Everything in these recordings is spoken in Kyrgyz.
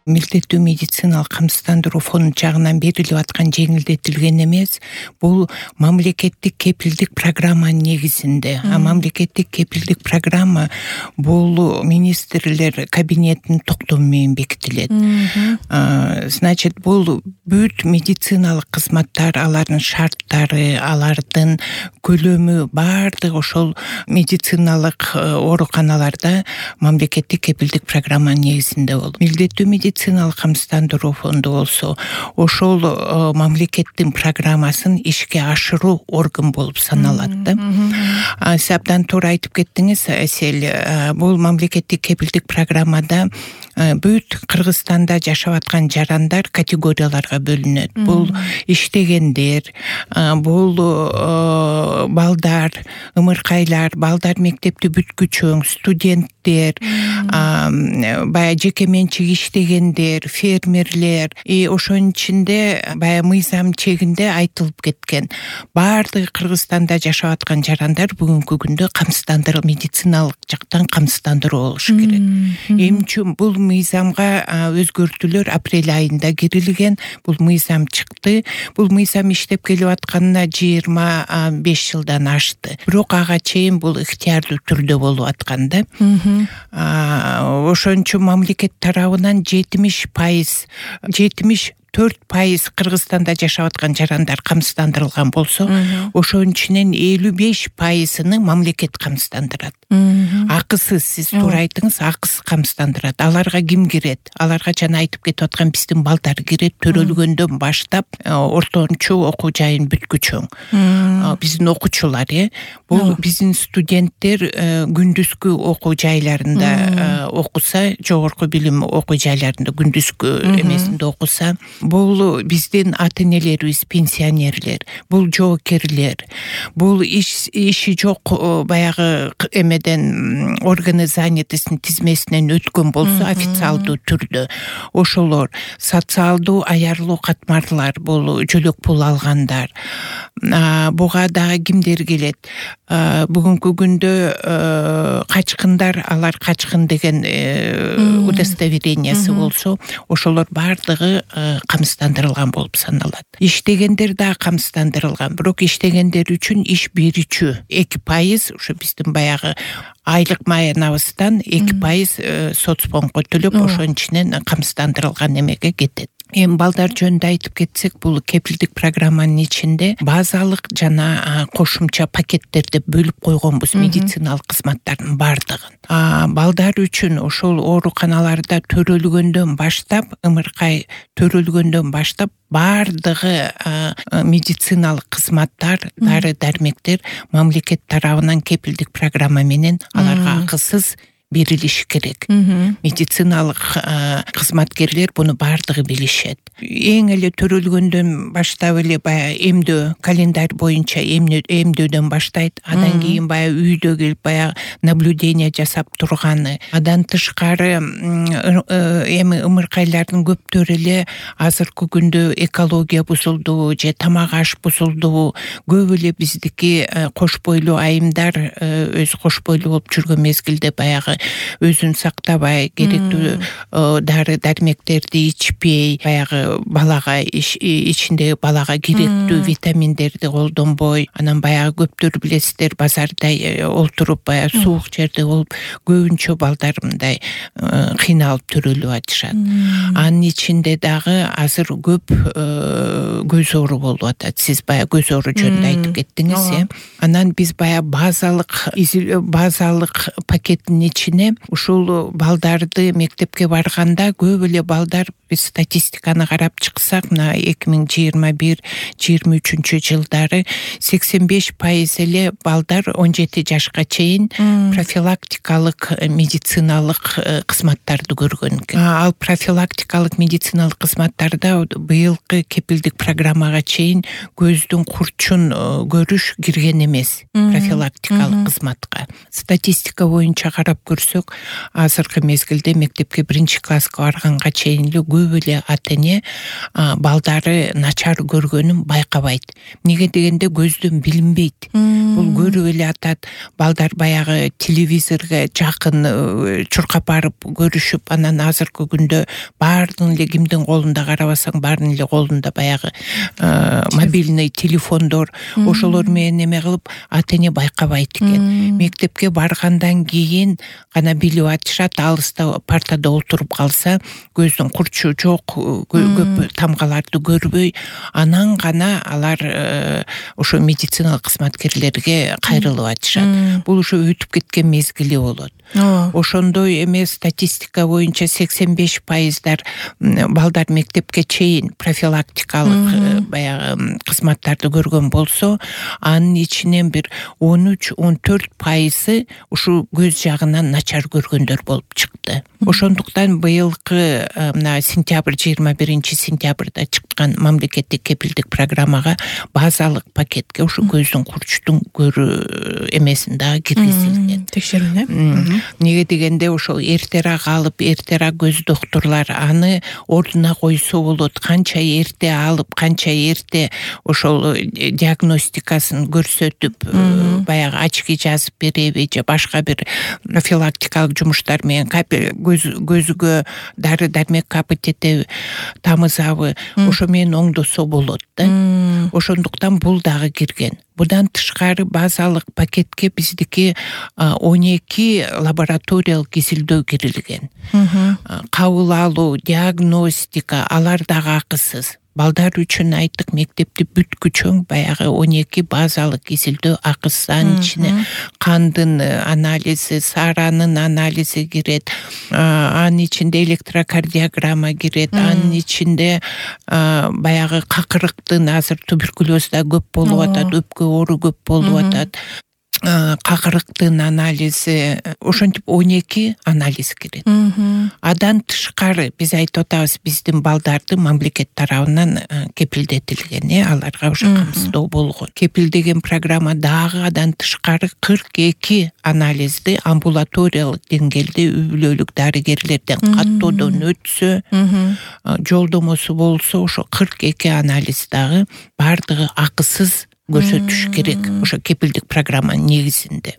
милдеттүү медициналык камсыздандыруу фонду жагынан берилип аткан жеңилдетилген эмес, бул мамлекеттик кепилдик программанын негизинде. Мамлекеттик кепилдик программа бул министрлер кабинетинин токтому менен бекитилет. Значит, бул бүт медициналык кызматтар, алардын шарттары, алардын көлөмү баардыгы ошол медициналык ооруканаларда мамлекеттик кепилдик программанын негизинде болот. Милдеттүү медициналык камсыздандыруу фонду болсо ошол мамлекеттин программасын ишке ашыруу орган болуп саналат да. Сиз абдан туура айтып кеттиңиз, Асель. Бул мамлекеттик кепилдик программада бүт Кыргызстанда жашап аткан жарандар категорияларга бөлүнөт. Бул иштегендер, бул балдар, ымыркайлар, балдар мектепти бүткүчөң, студенттер, баягы жеке менчик иштегендер, фермерлер, ошонун ичинде баягы мыйзам чегинде айтылып кеткен баардыгы Кыргызстанда жашап аткан жарандар бүгүнкү күндө медициналык жактан камсыздандыруу болушу керек. Эмне үчүн бул мыйзамга өзгөртүүлөр апрель айында кирилген, бул мыйзам чыкты. Бул мыйзам иштеп келип атканына 25 жылдан ашты. Бирок ага чейин бул ыктыярдуу түрдө болуп аткан да. Ошон үчүн мамлекет тарабынан 74% Кыргызстанда жашап аткан жарандар камсыздандырылган болсо, ошонун ичинен 55%-ны мамлекет камсыздандырат. Акысыз, сиз туура айттыңыз, акысыз камсыздандырат. Аларга ким кирет? Аларга жана айтып кетип аткан биздин балдар кирет, төрөлгөндөн баштап ортончу окуу жайын бүткүчөң. Биздин окуучулар, бул биздин студенттер күндүзгү окуу жайларында окуса, жогорку билим окуу жайларында күндүзгү эмесинде окуса, бул биздин ата-энелерибиз, пенсионерлер, бул жоокерлер, бул иши жок баягы эмеден органы занятостьтин тизмесинен өткөн болсо официалдуу түрдө, ошолор, социалдуу аярлуу катмарлар, бул жөлөк пул алгандар. Буга дагы кимдер келет? Бүгүнкү күндө качкындар, алар качкын деген удостоверениясы болсо, ошолор баардыгы камсыздандырылган болуп саналат. Иштегендер да камсыздандырылган, бирок иштегендер үчүн иш берүүчү 2%, ошо биздин баягы айлык маянабыздан 2% соцфондго төлөп, ошонун ичинен камсыздандырылган эмеге кетет. Эми балдар жөнүндө айтып кетсек, бул кепилдик программанын ичинде базалык жана кошумча пакеттерди бөлүп койгонбуз медициналык кызматтардын баардыгын. Балдар үчүн ошол ооруканаларда төрөлгөндөн баштап, ымыркай төрөлгөндөн баштап баардыгы медициналык кызматтар, дары дармектер мамлекет тарабынан кепилдик программа менен аларга акысыз берилиши керек. Медициналык кызматкерлер буну баардыгы билишет. Эң эле төрөлгөндөн баштап эле баягы эмдөө, календарь боюнча эмдөөдөн баштайт. Андан кийин баягы үйдө келип баягы наблюдение жасап турганы. Андан тышкары эми ымыркайлардын көптөрү эле азыркы күндө экология бузулду же тамак аш бузулду. Көп эле биздики кош бойлуу айымдар өзү кош бойлуу болуп жүргөн мезгилде баягы өзүн сактабай, керектүү дары дармектерди ичпей, баягы балага ичиндеги балага керектүү витаминдерди колдонбой, анан баягы көптөр билесиздер, базарда олтуруп баягы суук жерде болуп, көбүнчө балдар мындай кыйналып төрөлүп атышат. Анын ичинде дагы азыр көп көз оору болуп атат. Сиз баягы көз оору жөнүндө айтып кеттиңиз, Анан биз баягы базалык пакеттин ичине ушул балдарды мектепке барганда көп эле балдар, биз статистиканы карап чыксак, мына 2021-23 жылдары 85% эле балдар 17 жашка чейин профилактикалык медициналык кызматтарды көргөн экен. Ал профилактикалык медициналык кызматтарда быйылкы кепилдик программага чейин көздүн курчун көрүш кирген эмес профилактикалык кызматка. Статистика боюнча карап көрсөк, азыркы мезгилде мектепке 1 класска барганга чейин көп эле ата эне балдары начар көргөнүн байкабайт. Эмнеге дегенде көздөн билинбейт. Бул көрүп эле атат. Балдар баягы телевизорго жакын чуркап барып көрүшүп, анан азыркы күндө баардыгын эле кимдин колунда карабасаң, баардын эле колунда баягы мобильный телефондор, ошолор менен эме кылып ата эне байкабайт экен. Мектепке баргандан кийин гана билип атышат, алыста партада отуруп калса, көздүн курчу жок, көп тамгаларды көрбөй, анан гана алар ошо медициналык кызматкерлерге кайрылып атышат. Бул ошо өтүп кеткен мезгили болот. Ошондой эме статистика боюнча 85% балдар мектепке чейин профилактикалык баягы кызматтарды көргөн болсо, анын ичинен бир 13-14% ушу көз жагынан начар көргөндөр болуп чыкты. Ошондуктан быйылкы мына сентябрь 21-сентябрда чыккан мамлекеттик кепилдик программага базалык пакетке ушу көздүн курчтун көрүү эмесин дагы киргизилген. Текшерүүнү. Эмнеге дегенде ошол эртерээк алып, эртерээк көз доктурлар аны ордуна койсо болот. Канча эрте алып, канча эрте ошол диагностикасын көрсөтүп, баягы очки жазып береби же башка бир профилактикалык жумуштар менен көзгө дары дармек капытети, тамызабы ошо менен оңдосо болот да. Ошондуктан бул дагы кирген. Будан тышкары базалык пакетке биздики 12 лабораториялык изилдөө кирилген. Кабыл алуу, диагностика, алар дагы акысыз. Балдар үчүн айттык, мектепти бүткүчөң баягы 12 базалык изилдөө акысыз. Анын ичине кандын анализи, саранын анализи кирет, анын ичинде электрокардиограмма кирет, анын ичинде баягы какырыктын, азыр туберкулезда көп болуп атат, өпкө оору көп болуп атат. Какырыктын анализи, ошентип 12 анализ кирет. Адан тышкары биз айтып атабыз, биздин балдарды мамлекет тарабынан кепилдетилген, аларга уже камсыздоо болгон. Кепилдеген программа дагы адан тышкары 42 анализди амбулаториялык деңгээлде үй бүлөлүк дарыгерлерден каттоодон өтсө, жолдомосу болсо, ошо 42 анализ дагы бардыгы акысыз көрсөтүш керек, ошо кепилдик программанын негизинде.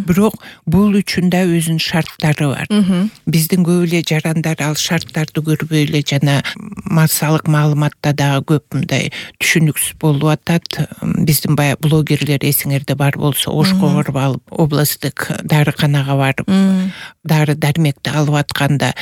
Бирок бул үчүн да өзүнүн шарттары бар. Биздин көп эле жарандар ал шарттарды көрбөй эле жана массалык маалыматта дагы көп мындай түшүнүксүз болуп атат. Биздин баягы блогерлер эсиңерде бар болсо, Ошкого алып, областтык дарыканага барып, дары дармекти алып атканда,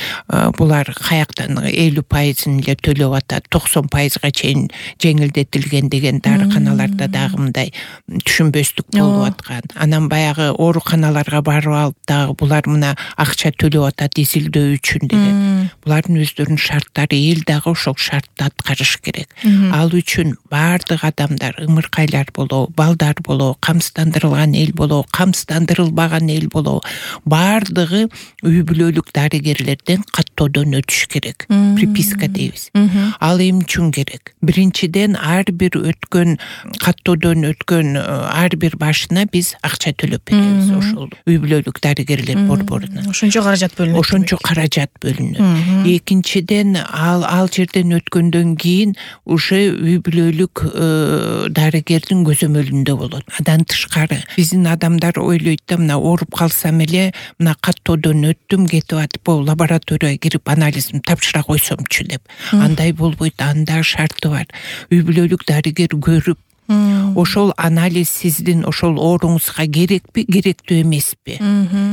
булар каяктан 50% эле төлөп атат, 90%га чейин жеңилдетилген деген дарыканаларда дагы мындай түшүнбөстүк болуп аткан. Анан баягы ооруканаларга барып алып дагы булар мына акча төлөп атат изилдөө үчүн деген. Булардын өздөрүнүн шарттары, эл дагы ошол шартты аткарыш керек. Ал үчүн бардык адамдар, ымыркайлар болобу, балдар болобу, камсыздандырылган эл болобу, камсыздандырылбаган эл болобу, бардыгы үй бүлөлүк дарыгерлерден каттоодон өтүш керек. Приписка дейбиз. Ал эмне үчүн керек? Биринчиден, ар бир өткөн каттоодон өткөн ар бир башына биз акча төлөп беребиз, ошол үй бүлөлүк дарыгерлер борборуна. Ошончо каражат бөлүнөт. Ошончо каражат бөлүнөт. Экинчиден, ал жерден өткөндөн кийин уже үй бүлөлүк дарыгердин көзөмөлүндө болот. Адан тышкары биздин адамдар ойлойт да, мына ооруп калсам эле, мына каттоодон өттүм, кетип атып, лабораторияга кирип анализимди тапшыра койсомчу деп. Андай болбойт, анда шарты бар. Үй бүлөлүк дарыгер көрүп, ошол анализ сиздин ошол ооруңузга керекпи, керектүү эмеспи?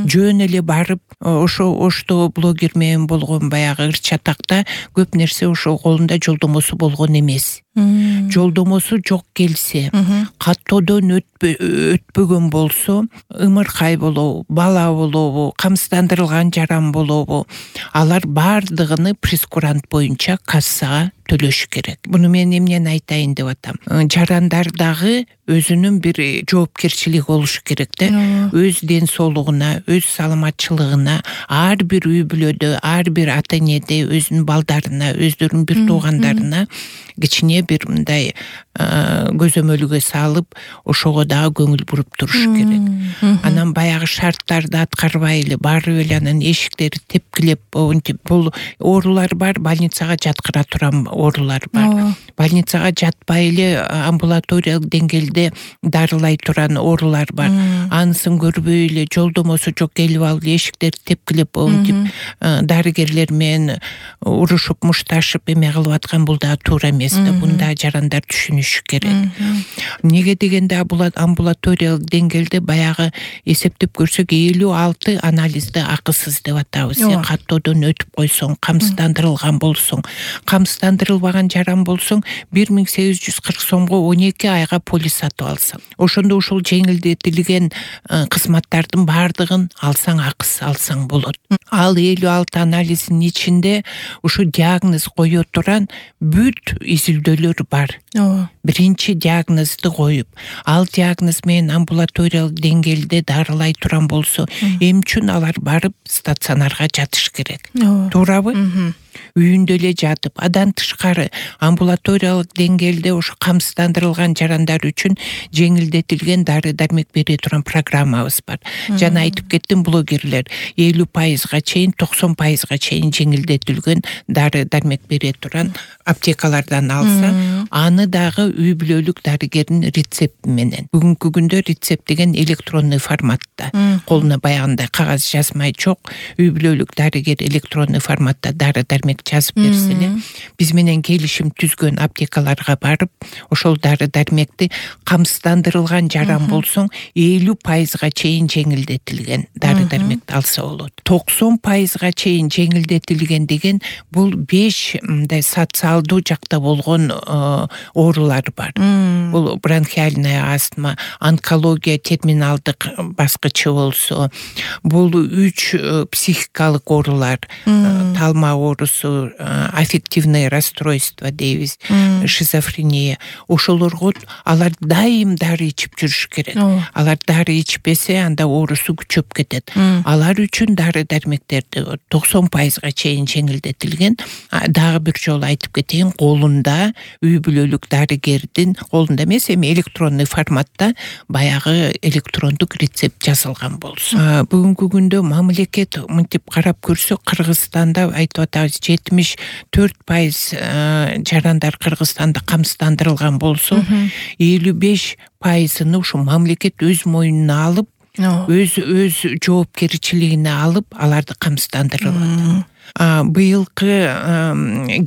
Жөн эле барып, ошто блогер менен болгон баягы ыр-чатакта көп нерсе ошол колунда жолдомосу болгон эмес. Жолдомосу жок келсе, каттоодон өтпөгөн болсо, ымыркай болобу, бала болобу, камсыздандырылган жаран болобу, алар бардыгыны прескурант боюнча кассага төлөш керек. Буну мен эмнени айтайын деп атам. Жарандар дагы өзүнүн бир жоопкерчилиги болушу керек да. Өз ден соолугуна, өз саламатчылыгына, ар бир үй бүлөдө, ар бир ата энеде өзүнүн балдарына, өздөрүнүн бир туугандарына кичине бир мындай көзөмөлгө салып, ошого дагы көңүл буруп туруш керек. Анан баягы шарттарды аткарбай эле барып эле анан эшиктери тепкилеп, бул оорулар бар, больницага жаткыра турган оорулар бар. Больницага жатпай эле амбулаториялык деңгээлде дарылай турган оорулар бар. Анысын көрбөй эле жолдомосу жок келип алып эшиктерди тепкилеп дарыгерлер менен урушуп, мушташып эме кылып аткан бул да туура эмес да. Бунда жарандар түшүнүшү керек. Эмнеге дегенде бул амбулаториялык деңгээлде баягы эсептеп көрсөк 56 анализди акысыз деп атабыз. Сен каттоодон өтүп койсоң, камсыздандырылган болсоң, камсыздандырылбаган жаран болсоң 1840 сомго 12 айга полис сатып алсаң. Ошондо ушул жеңилдетилген кызматтардын баардыгын алсаң, акысыз алсаң болот. Ал 56 анализдин ичинде ушу диагноз кое турган бүт изилдөөлөр бар. Биринчи диагнозду коюп, ал диагноз менен амбулаториялык деңгээлде дарылай турган болсо, эмне үчүн алар барып стационарга жатыш керек? Туурабы? Үйүндө эле жатып, адан тышкары амбулаториялык деңгээлде ошо камсыздандырылган жарандар үчүн жеңилдетилген дары дармек бере турган программабыз бар. Жана айтып кеттим, блогерлер 50%га чейин, 90%га чейин жеңилдетилген дары дармек бере турган аптекалардан алса, аны дагы үй бүлөлүк дарыгердин рецепти менен. Бүгүнкү күндө рецепт деген электронный форматта. Колуна баягындай кагаз жазмай жок, үй бүлөлүк дарыгер электронный форматта дары дармек жазып берсе эле, биз менен келишим түзгөн аптекаларга барып, ошол дары дармекти камсыздандырылган жаран болсоң 50%га чейин жеңилдетилген дары дармекти алса болот. 90%га чейин жеңилдетилген деген бул 5 мындай социалдуу жакта болгон оорулар бар. Бул бронхиальная астма, онкология терминалдык баскычы болсо, бул 3 психикалык оорулар, талма оорусу, аффективное расстройство дейбиз, шизофрения. Ошолорго алар дайым дары ичип жүрүш керек. Алар дары ичпесе, анда оорусу күчөп кетет. Алар үчүн дары дармектерди 90%га чейин жеңилдетилген. Дагы бир жолу айтып кетейин, колунда үй бүлөлүк дарыгердин колунда эмес, эми электронный форматта баягы электрондук рецепт жазылган болсун. Бүгүнкү күндө мамлекет мынтип карап көрсө, Кыргызстанда айтып атабыз 74% жарандар Кыргызстанда камсыздандырылган болсо, 55%-ны ушу мамлекет өз мойнуна алып, өз жоопкерчилигине алып, аларды камсыздандырып атат. Быйылкы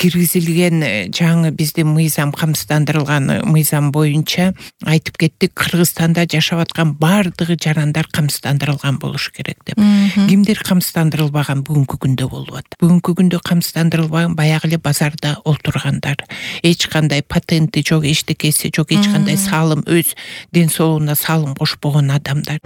киргизилген жаңы биздин мыйзам, камсыздандырылган мыйзам боюнча айтып кеттик, Кыргызстанда жашап аткан баардыгы жарандар камсыздандырылган болуш керек деп. Кимдер камсыздандырылбаган бүгүнкү күндө болуп атат? Бүгүнкү күндө камсыздандырылбаган баягы эле базарда олтургандар, эч кандай патенти жок, эчтекеси жок, эч кандай салым, өз ден соолугуна салым кошпогон адамдар.